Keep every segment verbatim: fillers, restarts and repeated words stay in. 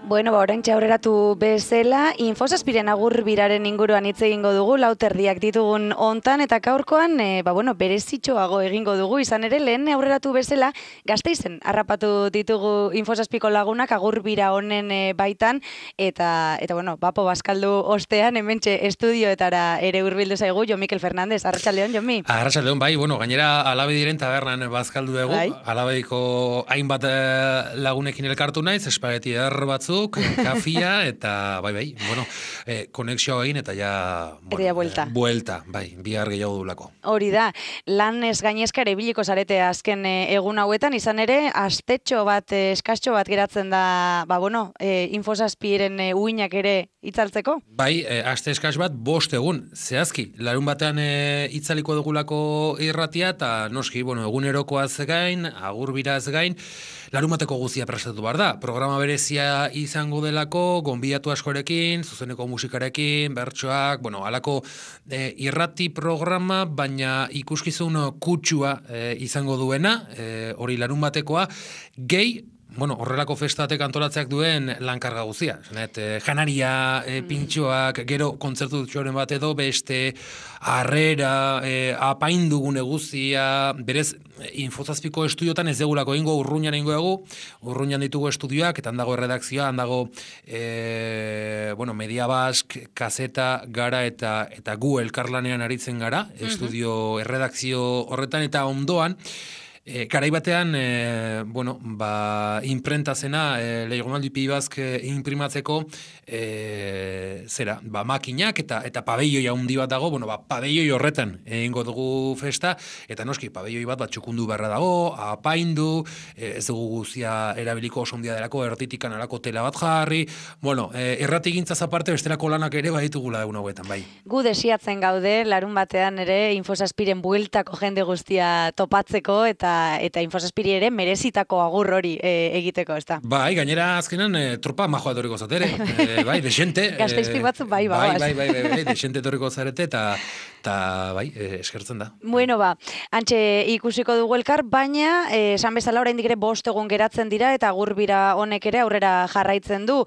Bueno, ba, orain aurreratu bezala, Infosazpiren agur biraren inguruan hitz egingo dugu, lauterdiak ditugun hontan, eta gaurkoan, e, ba, bueno, berezitxoago egingo dugu, izan ere, lehen aurreratu bezala, Gasteizen harrapatu ditugu Infosazpiko lagunak agur bira honen e, baitan, eta, eta bueno, Bapo Baskaldu ostean, hementxe estudioetara ere hurbildu zaigu, Jon Mikel Fernandez, arratsaldeon, Jonmi. Arratsaldeon, bai, bueno, gainera Alabediren tabernan bazkaldu dugu, bai. Alabediko hainbat lagunekin elkartu naiz, espageti er batzu, kafia, eta bai, bai, bueno, eh, konexioa egin, eta ja, bueno, eta ja buelta. Eh, buelta, bai, bihar gehiago dulako. Hori da, lan ez gainezka ere biliko zarete azken egun hauetan, izan ere, astetxo bat, eskastxo bat geratzen da, ba, bueno, e, Infosazpiren e, uinak ere itzaltzeko? Bai, e, aste eskas bat, bost egun, zehazki, larun batean e, itzaliko dugulako irratia, eta noski, bueno, egunerokoaz gain, agur biraz gain, larun bateko guzia prestatu behar da. Programa berezia izango delako, gonbidatu askorekin, zuzeneko musikarekin, bertsoak, bueno, alako e, irrati programa, baina ikuskizun kutsua e, izango duena, e, hori larun batekoa, gehi, bueno, horrelako festatek antolatzeak duen lankarga guzia. Zanet, e, janaria, e, pintxoak, gero kontzertu txoren bat edo, beste, harrera, e, apaindugune guzia, berez, Infosazpiko estudiotan ez degulako ingo, urruñan ingo egu, urruñan ditugu estudioak, eta handago erredakzioa, handago, e, bueno, Media Bask, Kazeta, gara, eta eta gu elkarlanean aritzen gara, estudio erredakzio horretan, eta ondoan, E, garai batean, e, bueno, ba, imprenta zena, e, Leigonaldi Pibazk e, imprimatzeko, e, zera, ba, makinak eta eta pabelloi handi bat dago, bueno, ba, pabelloi horretan egingo dugu festa, eta noski, pabelloi bat bat txukundu beharra dago, apaindu, e, ez dugu guzia erabiliko oso ondia delako, ertitikan alako tela bat jarri, bueno, e, errati gintzaz aparte, bestelako lanak ere baditugula egun hauetan, bai. Gu desiatzen gaude, larun batean ere, Infosazpiren bueltako jende guztia topatzeko, eta eta Infosazpiri ere merezitako agur hori e, egiteko, ez da? Bai, gainera azkenan e, tropa majoa etorriko zatere, e, bai, desente. Gasteizpik batzu, bai, bai, bai, bai, bai, bai, desente etorriko zarete, eta eta bai, e, eskertzen da. Bueno, ba, antxe ikusiko dugu elkar, baina, e, esan bezala oraindik ere bost egun geratzen dira, eta agur bira honek ere aurrera jarraitzen du.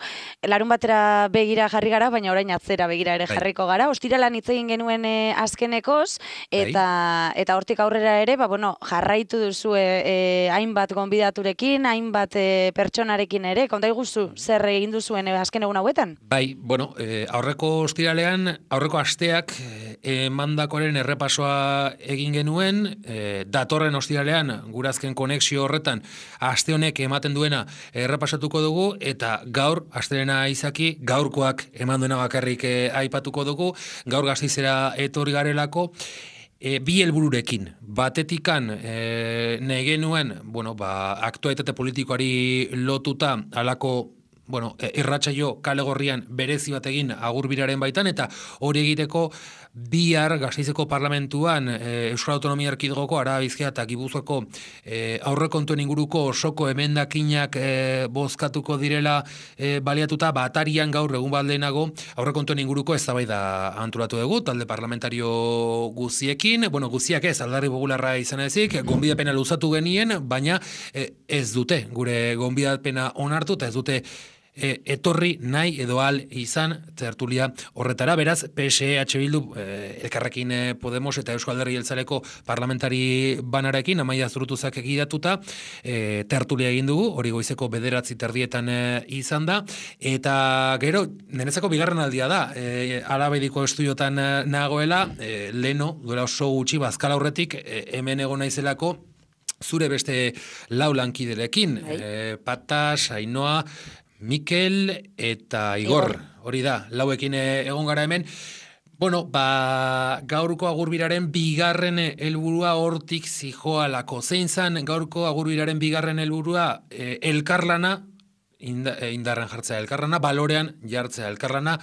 Larun batera begira jarri gara, baina orain atzera begira ere jarriko gara. Ostiralan hitz egin genuen e, azkenekoz, eta, eta hortik aurrera ere, ba, bueno, jarraitu duzu e, e, hainbat gonbidaturekin, hainbat e, pertsonarekin ere, konta iguzu zer egin duzuen e, azken egun hauetan? Bai, bueno, e, aurreko ostiralean, aurreko asteak emandakoren errepasoa egin genuen, e, datorren ostiralean, gurazken konexio horretan, aste honek ematen duena errepasatuko dugu, eta gaur, astelena izaki, gaurkoak eman duena bakarrik e, aipatuko dugu, gaur Gasteizera etorri garelako, E, bi helbururekin, batetikan e, nahi genuen, bueno, ba, aktualitate politikoari lotuta alako, bueno, irratsaio kale gorrian berezi bat egin agur biraren baitan, eta hori egiteko bihar Gasteizeko parlamentuan e, Euskal Autonomia Erkidegoko Araba Bizkaia eta Gipuzkoako e, aurrekontuen inguruko osoko emendakinak e, bozkatuko direla e, baliatuta, batarian gaur egun bat lehenago aurrekontuen inguruko eztabaida antolatu dugu, talde parlamentario guziekin, bueno, guziak ez, Alderdi Popularra izan ezik, gonbidapena luzatu genien, baina e, ez dute, gure gonbidapena onartu, eta ez dute E, etorri nahi edo al izan tertulia horretara, beraz, P S E, H Bildu, e, Elkarrekin Podemos eta Euskal Alderdi Jeltzaleko parlamentari banarekin, Amaia Zurutuzak egidatuta, e, tertulia egin dugu, hori goizeko bederatzi terdietan e, izan da, eta gero, nenezako bigarren aldia da, e, Alabediko estudiotan e, nagoela, e, leno, duela oso gutxi, bazkala horretik, e, hemen egon naizelako, zure beste lau lankiderekin, e, Patas, Ainoa, Mikel eta Igor, hori da, lauekin egon gara hemen. Bueno, ba, gaurko agurbiraren bigarren helburua hortik zijoalako. Zein zan gaurko agurbiraren bigarren helburua e, elkarlana, indarren jartzea elkarlana, balorean jartzea elkarlana,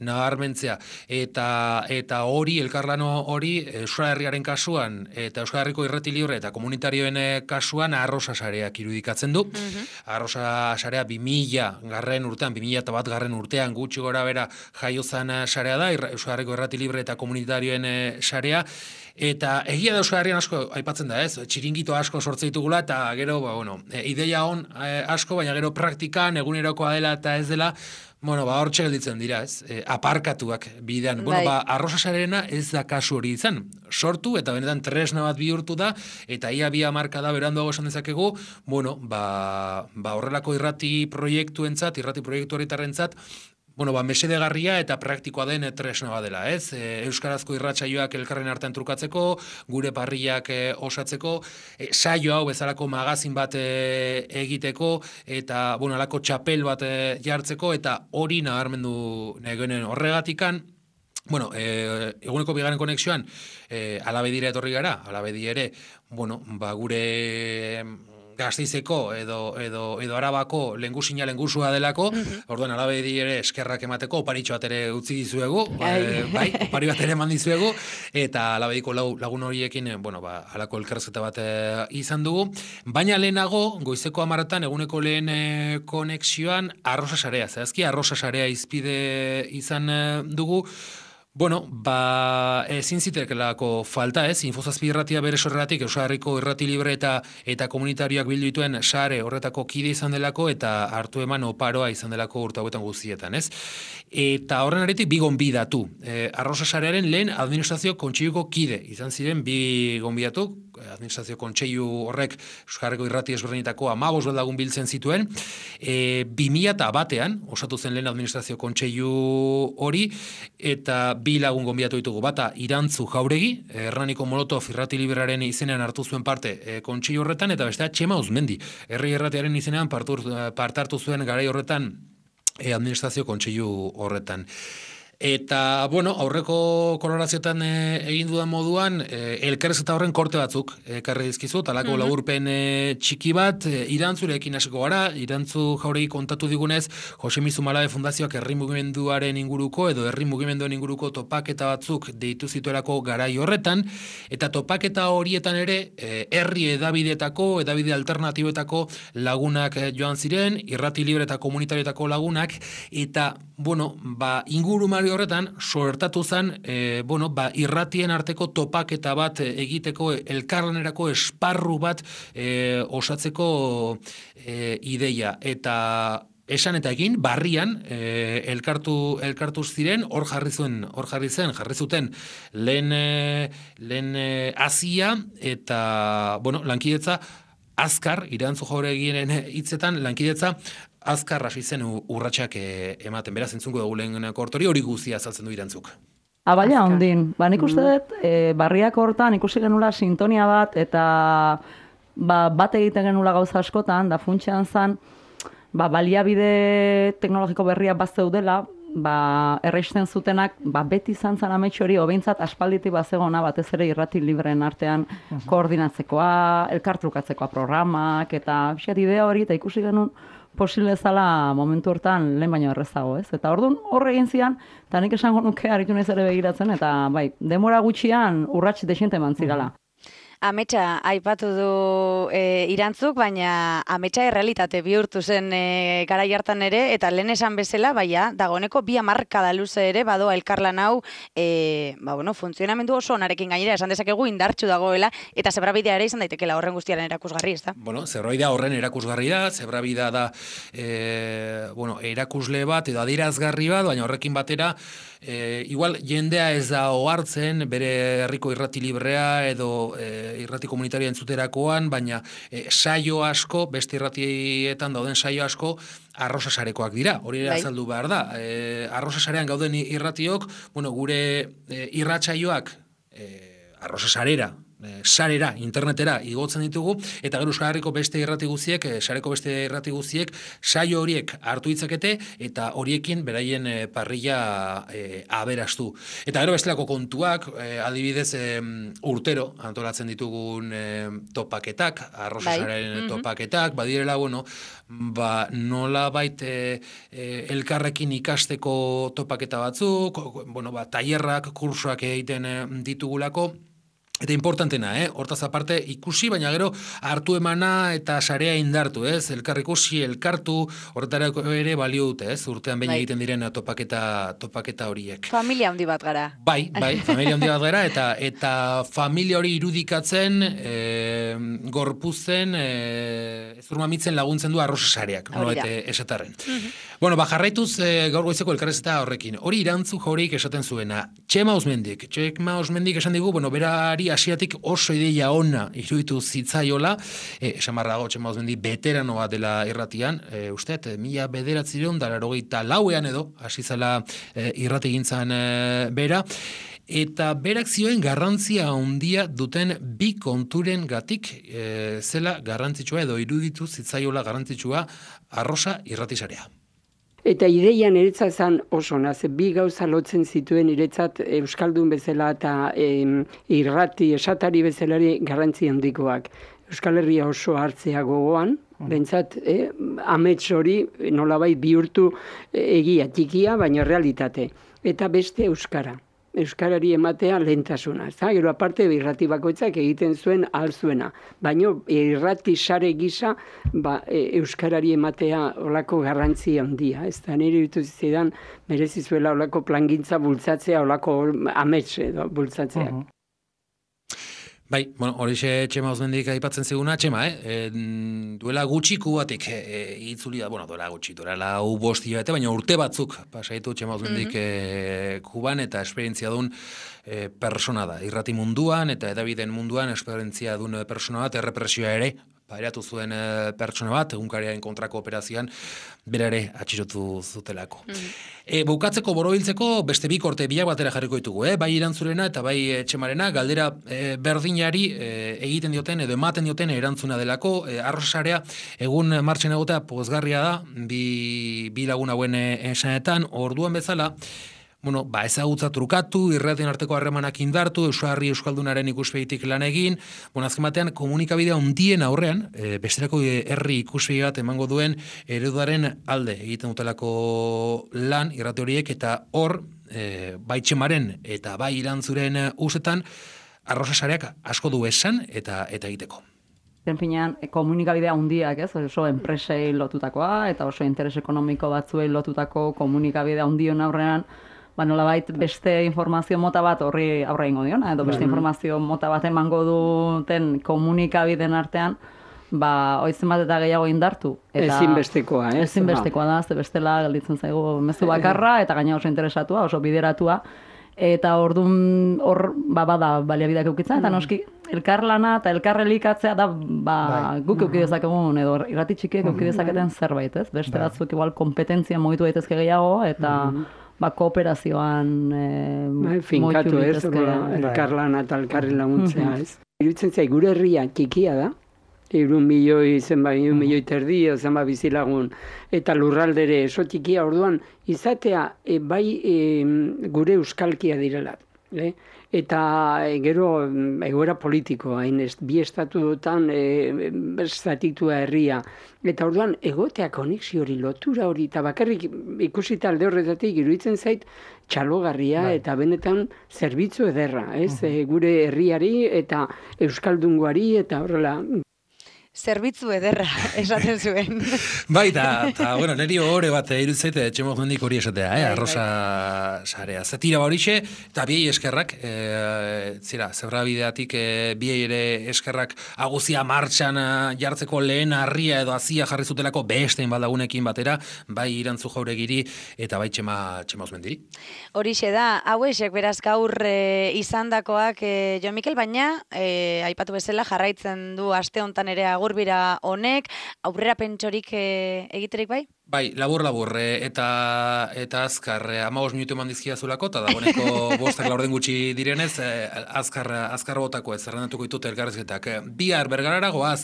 nabarmentzea. Eta eta hori, elkarlano hori, Euskal Herriaren kasuan, eta Euskal Herriko irrati libre eta komunitarioen kasuan arrosa sareak irudikatzen du. Uh-huh. Arrosa sarea bi mila garren urtean, bi mila bat garren urtean gutxi gora bera jaiozan sarea da, Euskal Herriko irrati libre eta komunitarioen sarea. Eta egia da Euskal Herrian asko aipatzen da, ez? Txiringito asko sortze ditugula, eta gero, ba, bueno, ideia on asko, baina gero praktikan lan, egunerokoa dela eta ez dela, bueno, ba, hor gelditzen dira, ez? E, aparkatuak bidean. Bueno, ba, arrozasarena ez da kasu hori izan. Sortu, eta benetan tresna bat bihurtu da, eta ia bi hamarka da beranduago esan dezakegu, bueno, ba, ba horrelako irrati proiektuentzat, irrati proiektu horretarrentzat, bueno, ba, mesedegarria eta praktikoa den tresna badela, ez? E, Euskarazko irratsaioak elkarren artean trukatzeko, gure parriak e, osatzeko, e, saio hau bezalako magazin bat e, egiteko, eta, bueno, alako txapel bat e, jartzeko, eta hori nabarmendu negenen horregatikan, bueno, e, eguneko bigarren konexioan, e, Alabedira etorri gara, Alabedi ere, bueno, ba, gure Gasteizeko edo, edo, edo Arabako lengusina lengusua delako, mm-hmm. Orduan Alabedi ere eskerrak emateko, oparitxo bat ere utzi dizuegu, e, bai, opari bat ere eman dizuegu, eta Alabediko lagun horiekin, bueno, ba, alako elkarrezketa bat e, izan dugu, baina lehenago, goizeko hamarretan, eguneko lehen e, konexioan, arrosa sarea, zehazki, arrosa sarea izpide izan e, dugu. Bueno, ba, ezin zitekelako falta, ez, Infozazpi irratia bere sorreratik, Euskal Herriko irrati libre eta eta komunitarioak bildu dituen sare horretako kide izan delako, eta hartu eman oparoa izan delako urte hauetan guztietan, ez? Eta horren aretik bi gonbidatu. E, Arrosa sarearen lehen administrazio kontseiluko kide izan ziren bi gonbidatu, administrazio kontseilu horrek Euskal Herriko irrati ezberdinetako hamabost lagun biltzen zituen, e, bi mila batean osatu zen lehen administrazio kontseilu hori, eta bi lagun gonbidatu ditugu, bata Irantzu Jauregi, Hernaniko Molotov irrati liberaren izenean hartu zuen parte e, kontseilu horretan, eta bestea Txema Uzmendi, herri irratiaren izenean parte hartu zuen garai horretan e, administrazio kontseilu horretan. Eta, bueno, aurreko kolorazioetan e, egin dudan moduan, e, elkarrezketa horren korte batzuk ekarri dizkizu, talako mm-hmm. laburpen e, txiki bat, e, Irantzurekin hasiko gara, Irantzu Jauregi kontatu digunez, Jose Mizu Malabe Fundazioak herri mugimenduaren inguruko, edo herri mugimenduen inguruko topaketa batzuk deitu zituelako garai horretan, eta topaketa horietan ere, e, herri edabidetako, edabide alternatiboetako lagunak e, joan ziren, irrati libre eta komunitarioetako lagunak, eta, bueno, ba, ingurumari horretan, sortatu zen, e, bueno, ba, irratien arteko topaketa bat egiteko, elkarlanerako esparru bat e, osatzeko e, ideia. Eta esan eta egin, barrian, e, elkartu, elkartu ziren, hor jarri zuen, hor jarri zen, jarri zuten lehen, e, lehen e, azia, eta, bueno, lankidetza, azkar, Irantzu Jauregiren hitzetan, lankidetza, azkar hasi zen urratsak ematen, beraz entzungo dugu lehen kortori, hori guztia azaltzen du Irantzuk. Abaila ondin, ba nik uste dut, e, barriak hortan ikusi genula sintonia bat, eta ba, bat egiten genula gauza askotan, da funtsean zan, ba, baliabide teknologiko berriak bat zeudela, ba, erreisten zutenak, ba, beti izan zan ametxo hori, obeintzat aspalditik bat zegona, batez ere irrati libreen artean uh-huh. koordinatzekoa, elkartrukatzekoa programak, eta xat idea hori, eta ikusi genuen, posible zala momentu hortan lehen baino errezago, ez? Eta orduan horre egin zian, eta nik esango nuke aritu naiz ere begiratzen, eta bai, demora gutxian urrats dexente eman zirala. Ametsa aipatu du e, Irantzuk, baina ametsa errealitate bihurtu zen e, garai hartan ere, eta lehen esan bezala, baina dagoeneko bi hamarkada luze ere badoa elkarlan hau, e, ba, bueno, funtzionamendu oso onarekin gainera, esan dezakegu indartsu dagoela, eta zebrabidea ere izan daitekela horren guztiaren erakusgarri, ez da? Bueno, zebrabidea horren erakusgarri da, zebrabidea da e, bueno, erakusle bat, edo adierazgarri bat, baina horrekin batera, E, igual jendea ez da ohartzen bere herriko irrati librea edo e, irrati komunitaria entzuterakoan, baina e, saio asko, beste irratietan dauden saio asko arrosa sarekoak dira, hori ere azaldu behar da. E, arrosa sarean gauden irratiok, bueno, gure e, irratsaioak e, arrosa sarera, sarera, internetera igotzen ditugu, eta gero Euskal Herriko beste irrati guziek, sareko beste irrati guziek, saio horiek hartu ditzakete, eta horiekin beraien e, parrilla e, aberastu. Eta gero bestelako kontuak, e, adibidez e, urtero antolatzen ditugun e, topaketak, arrozasaren bai. topaketak, badirela, bueno, ba, nola bait e, e, elkarrekin ikasteko topaketa batzuk, bueno, ba, tailerrak, kursoak egiten e, ditugulako, Eta importantena, eh? Hortaz aparte ikusi, baina gero hartu emana eta sarea indartu, ez? Elkar ikusi, elkartu, horretarako ere balio dute, ez? Urtean behin egiten diren topaketa, topaketa horiek. Familia handi bat gara. Bai, bai, familia handi bat gara, eta eta familia hori irudikatzen, e, gorpuzen, e, zurmamitzen laguntzen du arrosa sareak, no bete esatarren. Mm-hmm. Bueno, ba, jarraituz e, gaur goizeko elkarrezeta horrekin. Hori irantzu jaureik esaten zuena. Txema Osmendik, Txema Osmendik esan digu, bueno, berari asiatik oso ideia ona iruditu zitzaiola, e, esan barra dago Txema Osmendik veterano bat dela irratian, e, usteet, mila bederatzireun da larogeita lauean edo, hasi zela e, irrati gintzan e, bera, eta berak zioen garrantzia handia duten bi konturen gatik e, zela garrantzitsua edo iruditu zitzaiola garrantzitsua arrosa irratisarea. Eta ideia niretzat zan oso naz, bi gauza lotzen zituen niretzat euskaldun bezala eta em, irrati esatari bezalari garrantzi handikoak. Euskal Herria oso hartzea gogoan, bentsat eh, amets hori nolabait bihurtu egia txikia, baina realitate. Eta beste euskara. Euskarari ematea lehentasuna. Gero aparte irrati bakoitzak egiten zuen alzuena. Baina irrati sare gisa ba, e, euskarari ematea olako garrantzi handia. Ez da nire ditu zidan merezi zuela olako plangintza bultzatzea, olako amets edo bultzatzea. Uh-huh. Bai, bueno, horixe Txema Osmendik aipatzen ziguna, Txema, eh? E, duela gutxiku batek e, itzuli da, bueno, duela gutxi, duela lau bosti bate, baina urte batzuk pasaitu Txema Osmendik mm-hmm. e, Kuban eta esperientzia duen e, persona da. Irrati munduan eta edabideen munduan esperientzia duen persona bat, errepresioa ere, pairatu zuen e, pertsona bat, egunkariaren kontrako operazioan, berare atxirotu zutelako. Mm-hmm. E, bukatzeko borobiltzeko beste bi korte bilak batera jarriko ditugu, eh? Bai Irantzurena eta bai Txemarena, galdera e, berdinari e, egiten dioten edo ematen dioten erantzuna delako, e, arrosarea egun martxen egotea pozgarria da, bi, bi lagun hauen esanetan, orduan bezala, bueno, ba, ezagutza trukatu, irratien arteko harremanak indartu, Euskarri Euskaldunaren ikuspegitik lan egin, bueno, azken batean komunikabidea ondien aurrean, e, besterako herri ikuspegi bat emango duen ereduaren alde egiten dutelako lan irrati horiek, eta hor, e, bai Txemaren eta bai Irantzuren usetan, arrosa sareak asko du esan eta eta egiteko. Finean, komunikabidea handiak, ez, oso enpresei lotutakoa, eta oso interes ekonomiko batzuei lotutako komunikabidea handion aurrean, ba, nolabait beste informazio mota bat horri aurre ingo diona, edo beste informazio mota bat emango duten komunikabideen artean, ba, oizen bat eta gehiago indartu. Eta ezinbestekoa, ez? Ezinbestekoa da, ze bestela galditzen zaigu mezu bakarra, eta gaina oso interesatua, oso bideratua, eta orduan hor ba, bada baliabideak eukitzen, eta noski elkarlana eta elkarrelikatzea da ba, guk euki dezakegun, edo irrati txikiek euki dezaketen zerbait, ez? Beste batzuk igual kompetentzia mogitu daitezke gehiago, eta ba, kooperazioan e, bai, finkatu ez, elkarlana eta elkarri laguntzea, ez? Iruditzen zai, gure herria txikia da, irun milioi, zenba, irun milioi terdi, zenba bizilagun, eta lurraldere oso txikia, orduan, izatea, e, bai e, gure euskalkia direla, eh? Eta e, gero egoera politiko, hain ez, bi estatuetan e, estatitua herria, eta orduan egotea konexio hori, lotura hori, eta bakarrik ikusita alde horretatik iruditzen zait txalogarria bai. Eta benetan zerbitzu ederra, ez? Uh-huh. E, gure herriari eta euskaldungoari eta horrela. Zerbitzu ederra, esaten zuen. Bai, eta, bueno, niri hori bat irutzeit, Txema Osmendik hori esatea, eh, arrosa sarea. Zetira horixe, eta biei eskerrak, e, zira, zebra bideatik e, biei ere eskerrak aguzia martxan jartzeko lehen harria edo azia jarri zutelako bestein baldagunekin batera, bai Irantzu Jauregiri eta bai Txema, Txema Osmendiri. Horixe da, hauesek beraz gaur e, izandakoak e, Jo Mikel, baina e, aipatu bezala jarraitzen du aste hontan ere agurbira honek, aurrera pentsorik e, egiterik bai? Bai, labur-labur, eta eta azkar, hamabost minutu eman dizkia zulako, eta dagoeneko bostak laurden gutxi direnez, azkar, azkar botako ez, zerrendatuko ditut elkarrezketak. Bihar bergarara goaz,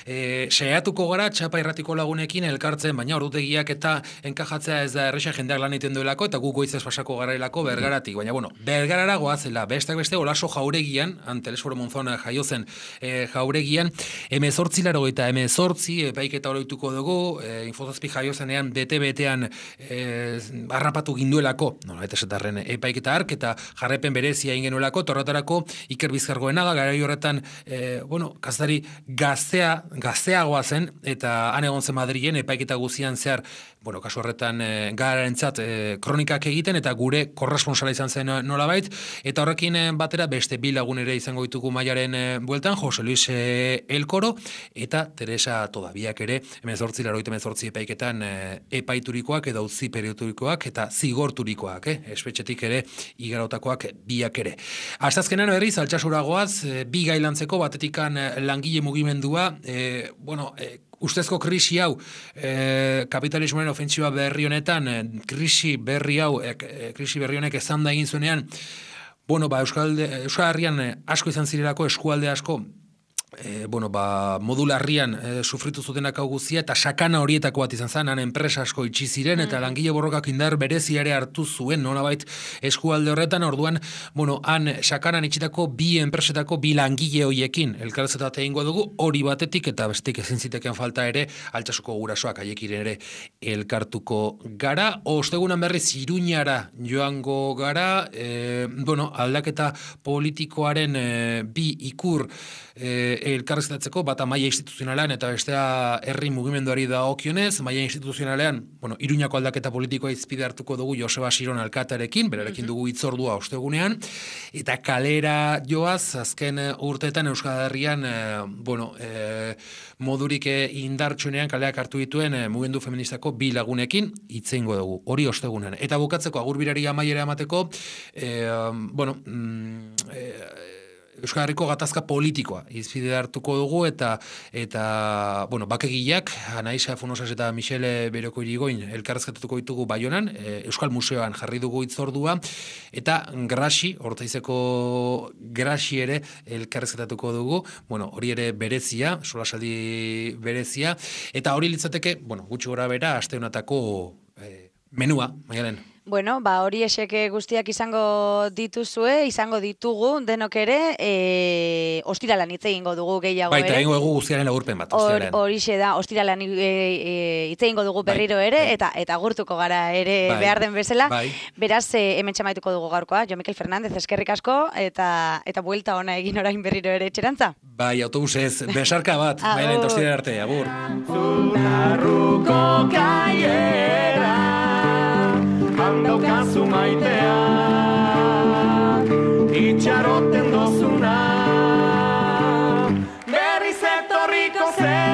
e, saiatuko gara txapa irratiko lagunekin elkartzen, baina ordutegiak eta enkajatzea ez da erresa jendeak lan egiten duelako, eta gu goizez pasako garailako bergaratik. Baina, bueno, bergarara goazela, bestak beste, Olaso Jauregian, Antelesforo Monzona jaiozen e, Jauregian, emezortzi laro eta emezortzi, epaiketa oroituko dugu, e, infozazpi jaiozen zenean bete-betean e, harrapatu ginduelako, nola, eta esatarren epaiketa hark, eta jarrepen berezia ingenuelako, torratarako Iker Bizkargoenaga, garai horretan, e, bueno, kazari gaztea, gazteagoa zen, eta han egon zen Madrilen epaiketa guzian zehar, bueno, kasu horretan e, gararentzat e, kronikak egiten, eta gure korresponsala izan zen nolabait, eta horrekin e, batera beste bi lagun ere izango ditugu Maiaren e, bueltan, Jose Luis e, Elkoro, eta Teresa Todabiak ere, emezortzi, laroite emezortzi epaiketan e, epaiturikoak, edo utzi perioturikoak, eta zigorturikoak, eh? Espetxetik ere, igarotakoak biak ere. Astazkenan berriz, altxasuragoaz, e, bi gailantzeko, batetikan e, langile mugimendua, e, bueno, e, ustezko krisi hau, e, kapitalismoaren ofentsiba berri honetan, e, krisi berri hau, e, krisi berri honek ezan da egin zuenean, bueno, ba, Euskal, Euskal Herrian asko izan zirelako, eskualde asko, E, bueno, ba, modularrian e, sufritu zutenak hau guzia, eta sakana horietako bat izan zen, han enpresa asko itxi ziren, eta mm. langile borrokak indar berezi ere hartu zuen, nolabait eskualde horretan, orduan, bueno, han sakanan itxitako bi enpresetako bi langile hoiekin, elkarrezetat egingo dugu, hori batetik, eta bestik ezin ziteken falta ere, Altsasuko gurasoak haiekin ere elkartuko gara, ostegunan berriz Iruñara joango gara, e, bueno, aldaketa politikoaren e, bi ikur e, elkarrezetatzeko, bata maila instituzionalean eta bestea herri mugimenduari dagokionez, maila instituzionalean, bueno, Iruñako aldaketa politikoa izpide hartuko dugu Joseba Siron alkatearekin, berarekin dugu hitzordua ostegunean, eta kalera joaz, azken urteetan Euskal Herrian, e, bueno, e, modurik indartsuenean kaleak hartu dituen e, mugimendu feministako bi lagunekin hitzeingo dugu, hori ostegunean. Eta bukatzeko agurbirari amaiera emateko, e, bueno, mm, e, Euskal Herriko gatazka politikoa izpide hartuko dugu, eta eta bueno, bakegileak Anaisa Funosas eta Michele Beroko Irigoin elkarrezketatuko ditugu Baionan, e, Euskal Museoan jarri dugu hitzordua, eta Graxi, Ortaizeko Graxi ere elkarrezketatuko dugu, bueno, hori ere berezia, solasaldi berezia, eta hori litzateke, bueno, gutxi gora bera, aste honetako e, menua, Maialen. Bueno, ba, hori eseke guztiak izango dituzue, izango ditugu, denok ere, e, ostiralan hitz egingo dugu gehiago ere. Baita, egingo dugu guztiaren agurpen bat, ostiralan. Horixe da, ostiralan e, e, hitz egingo dugu berriro bai, ere, bai. eta eta gurtuko gara ere bai, behar den bezala. Bai. Beraz, e, hemen txamaituko dugu gaurkoa, Jo Mikel Fernandez, eskerrik asko, eta eta buelta ona egin orain berriro ere etxerantza. Bai, autobusez, besarka bat, baina eta ostiralan arte, agur. Zularruko kaiera handaukazu maitea, itxaroten dozuna, berriz etorriko zen.